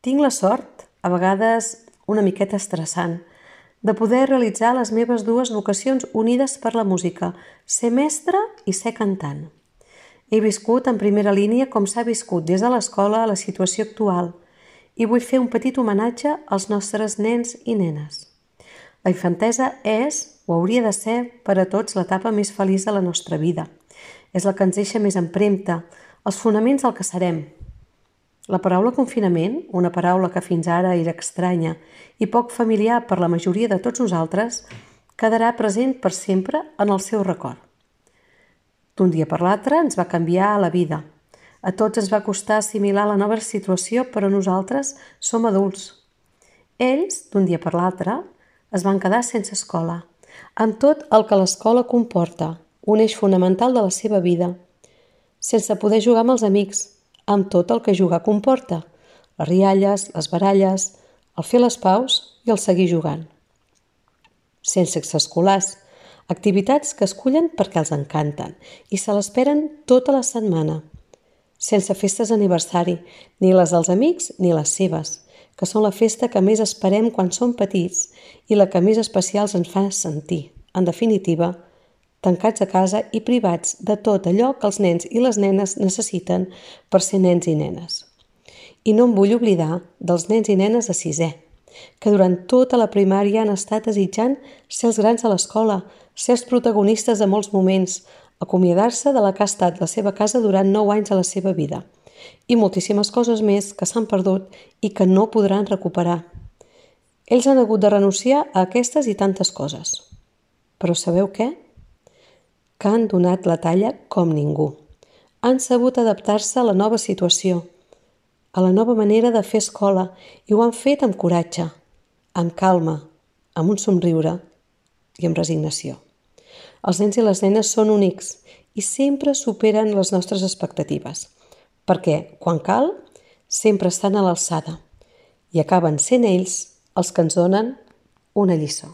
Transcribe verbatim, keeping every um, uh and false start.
Tinc la sort, a vegades una miqueta estressant, de poder realitzar les meves dues vocacions unides per la música, ser mestra i ser cantant. He viscut en primera línia com s'ha viscut des de l'escola a la situació actual i vull fer un petit homenatge als nostres nens i nenes. La infantesa és, o hauria de ser, per a tots l'etapa més feliç de la nostra vida. És la que ens deixa més empremta, els fonaments del que serem. La paraula confinament, una paraula que fins ara era estranya i poc familiar per la majoria de tots nosaltres, quedarà present per sempre en el seu record. D'un dia per l'altre ens va canviar la vida. A tots ens va costar assimilar la nova situació, però nosaltres som adults. Ells, d'un dia per l'altre, es van quedar sense escola, amb tot el que l'escola comporta, un eix fonamental de la seva vida, sense poder jugar amb els amics, amb tot el que jugar comporta, les rialles, les baralles, el fer les paus i el seguir jugant. Sense extraescolars, activitats que escullen perquè els encanten i se l'esperen tota la setmana. Sense festes d'aniversari, ni les dels amics ni les seves, que són la festa que més esperem quan som petits i la que més especials ens fa sentir. En definitiva, tancats a casa i privats de tot allò que els nens i les nenes necessiten per ser nens i nenes. I no em vull oblidar dels nens i nenes de sisè, que durant tota la primària han estat desitjant ser els grans de l'escola, ser els protagonistes de molts moments, acomiadar-se de la que ha estat la seva casa durant nou anys de la seva vida, i moltíssimes coses més que s'han perdut i que no podran recuperar. Ells han hagut de renunciar a aquestes i tantes coses. Però sabeu què? Que han donat la talla com ningú. Han sabut adaptar-se a la nova situació, a la nova manera de fer escola, i ho han fet amb coratge, amb calma, amb un somriure i amb resignació. Els nens i les nenes són únics i sempre superen les nostres expectatives, perquè, quan cal, sempre estan a l'alçada i acaben sent ells els que ens donen una lliçó.